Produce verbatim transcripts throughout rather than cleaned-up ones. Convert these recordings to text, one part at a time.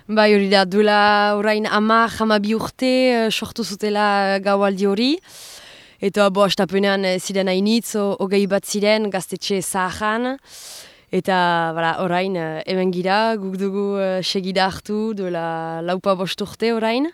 Bai, hori da, duela orain ama, hamabi urte uh, sortu zutela gaualdi hori. Eta bo, astapenean ziren hainitz, hogei bat ziren gaztetxe zaharan. Eta bala, orain, uh, hemen gira, guk dugu uh, segida hartu duela laupa bost urte orain.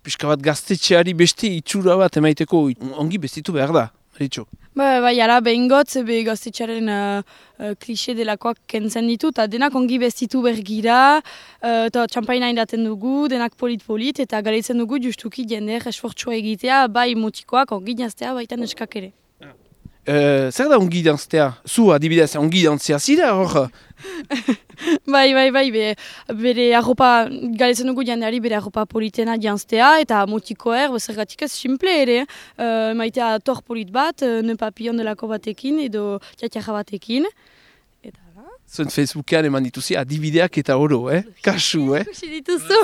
Piska bat gaztetxeari beste itxura bat emaiteko ongi bestitu behar da, Maritxo. Ba, bai, ala, behin gotz, be gaztetxearen uh, uh, klixe delakoak kentzen ditu, eta denak ongi bestitu bergira, uh, eta txampaina indaten dugu, denak polit-polit, eta galetzen dugu justuki jendeak esfortzua egitea, bai mutikoak ongi janztea, baita neskak ere. Uh, zer da ongi janztea? Zu adibidez ongi janztea zira hor? Bai, bai, bai, be, bere arropa, galetzen dugu jendeari bere arropa politena janztea, eta mutikoer, zergatik ez simple ere, uh, maitea tor polit bat, uh, ne papion delako batekin, edo txatxarra batekin. Zuen Facebookean eman dituzi adibideak eta oro, eh? Kasu, eh? Kusi dituzu.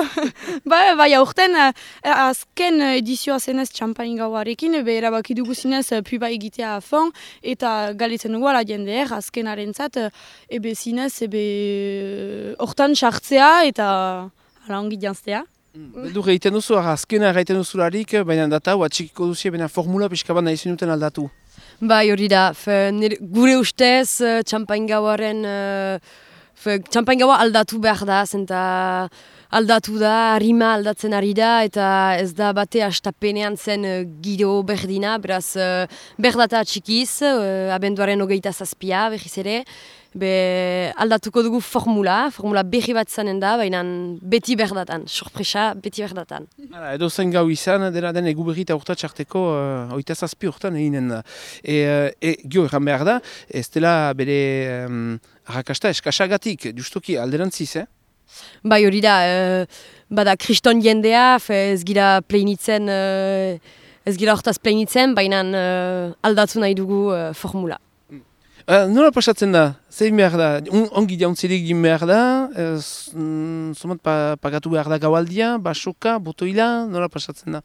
Ba, bai, aurten, azken edizioa zenez txampain gauarekin, be erabaki dugu zinez puba egitea afon, eta galetzen dugu ala jendeer, azken arentzat, ebe zinez, ebe hortan sartzea eta ala ongi janztea. Beldur egiten duzu, azkena egiten duzularik, baina data, atxikiko duzi, baina formula pixka bat nahi zinuten aldatu. Bai, hori da, fe, nire, gure ustez uh, txampain gauaren, uh, txampain gaua aldatu behar da, zenta aldatu da, harima aldatzen ari da, eta ez da bate astapenean zen uh, giro berdina, beraz uh, berdata txikiz, uh, abenduaren hogeita zazpia, behiz ere, be aldatuko dugu formula, formula berri bat zanen da, baina beti berdatan, sorpresa beti berdatan. Hala, edo zen gau izan, dela den egu berri eta urtatxarteko uh, oita zazpi urtan eginen da. E, e, gio erran behar da, ez dela bere um, arrakasta eskasagatik, justuki alderantziz, eh? Bai, hori da, uh, bada kriston jendea, ez gira pleinitzen, uh, ez gira hortaz pleinitzen, baina uh, aldatu nahi dugu uh, formula. Uh, nola pasatzen da? Zein behar da? On, ongi jauntzirik egin behar da? Zomat pa, pagatu behar da gaualdia, basoka, botoila? Nola pasatzen da?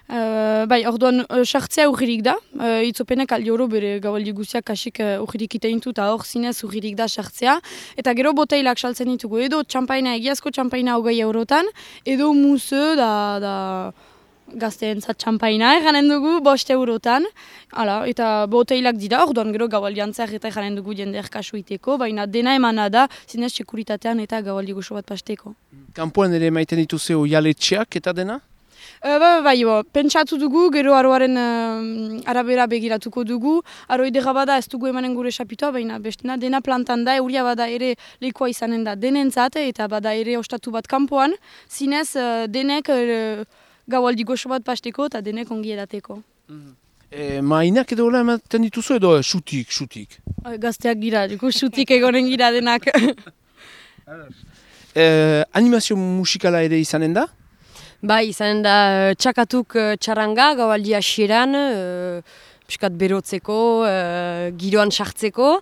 Uh, bai, orduan, sartzea uh, urririk da. Uh, itzopenek aldi oro bere gaualdi guziak kasik uh, urririk iteintu eta hor zinez urririk da sartzea. Eta gero boteilak saltzen ditugu. Edo txampaina, egiazko txampaina hogei eurotan, edo muze da... da gazteentzat txampaina eranen dugu, bost eurotan. Hala, eta boteilak dira, orduan gero gaualdian zer eta eranen dugu jendeak kasu iteko, baina dena emana da, zinez sekuritatean eta gaualdi goxo bat pasteko. Kanpoan ere maiten dituzeo jaletxeak eta dena? Uh, ba, ba, bo, pentsatu dugu, gero aroaren uh, arabera begiratuko dugu. Aro idera bada ez dugu emanen gure sapitoa, baina bestena dena plantan da, euria bada ere lekoa izanen da denentzat, eta bada ere ostatu bat kanpoan, zinez uh, denek... Uh, gaualdi goxo bat pasteko eta denek ongi edateko. Mm-hmm. E, mainak edo hola ematen dituzu edo xutik, xutik? Gazteak gira, dugu xutik egonen gira denak. e, animazio musikala ere izanen da? Bai, izanen da txakatuk txaranga gaualdi hasieran, uh, piskat berotzeko, uh, giroan sartzeko,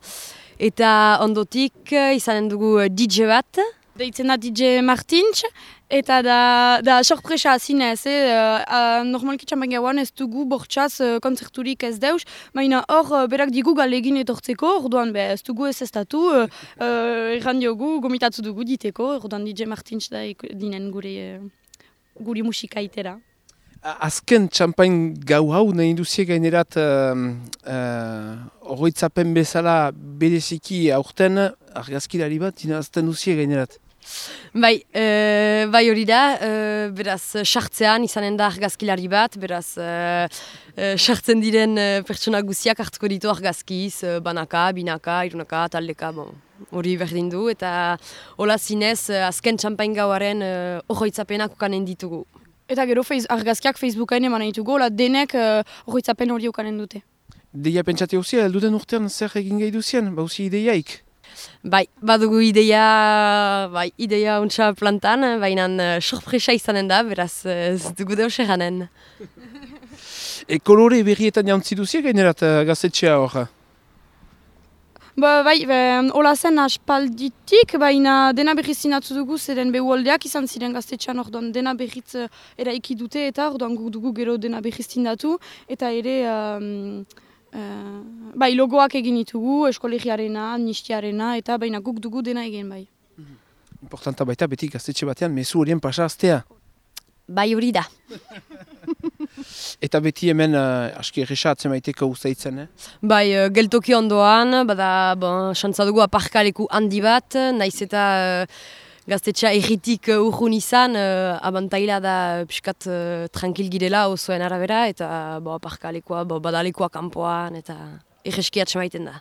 eta ondotik izanen dugu D J bat. Deitzen da D J Martins, eta da, da sorpresa zinez, eh? uh, normalki txampan gauan ez dugu bortxaz uh, konzerturik ez deus, baina hor uh, berak digu galegin etortzeko, orduan be, ez dugu ez estatu, uh, uh, erran diogu, gomitatu dugu diteko, orduan D J Martins da dinen gure, uh, gure musika itera. Azken txampain gau hau nahi duzie gainerat horretzapen uh, uh, bezala bereziki aurten argazkilari bat dinazten duzie gainerat. Bai, e, bai hori da, e, beraz, sartzean izanen da argazkilari bat, beraz, sartzen e, diren e, pertsona guziak hartuko ditu argazkiz, e, banaka, binaka, irunaka, taldeka, bon, hori berdin du, eta hola zinez, azken txampain gauaren horretzapenak e, ukanen ditugu. Eta gero feiz, argazkiak Facebookain eman ditugu, hola denek horretzapen hori ukanen dute. Deia pentsate huzia, elduden urtean zer egin gai duzien, bauzi ideiaik? Bai, badugu ideia, bai, ideia untsa plantan, baina uh, sorpresa izanen da, beraz ez dugu deus eranen. E kolore berrietan jantzi duzie gainerat uh, gaztetxea hor? Ba, bai, hola zen aspalditik, baina dena berriz zinatzu dugu, zeren behuoldeak izan ziren gaztetxean orduan dena berriz uh, eraiki dute eta orduan guk dugu gero dena berriz zindatu, eta ere... Um, Uh, bai, logoak egin ditugu, eskolegiarena, nistiarena, eta baina guk dugu dena egin bai. Importanta baita beti gaztetxe batean mezu horien pasaztea. Bai hori da. Eta beti hemen uh, aski erresa atzemaiteko uzaitzen, eh? Bai, uh, geltoki ondoan, bada, bon, xantza dugu aparkaleku handi bat, naiz eta uh, gaztetxea erritik uh, urrun izan, uh, abantaila da uh, piskat uh, tranquil girela osoen arabera, eta bo, aparkalekoa, bo, badalekoa kanpoan, eta erreski atzemaiten da.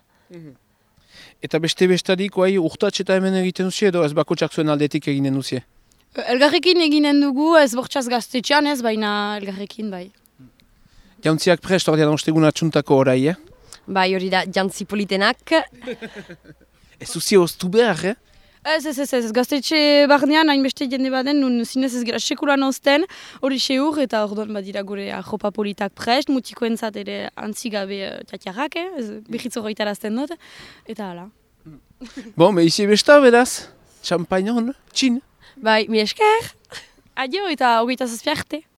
Eta beste bestadik, oai, urtatx eta hemen egiten duzie, edo ez bakotxak zuen aldetik eginen duzie? Elgarrekin eginen dugu, ez bortxaz gaztetxean ez, baina elgarrekin bai. Jauntziak prest, ordean ostegun atxuntako orai, eh? Bai hori da, jantzi politenak. Ez duzie oztu behar, eh? Ez, ez, ez, ez, gaztetxe barnean hainbeste jende baden, nun zinez ez gira sekulan ozten, hori seur, eta orduan badira gure jopa politak prest, mutikoentzat ere antzigabe uh, txatiarrak, eh? Ez, behitzo goitarazten dut, eta hala. Bon, behizi besta, beraz? Champagnon, txin? Bai, mi esker! Adio eta hogeita zazpiarte.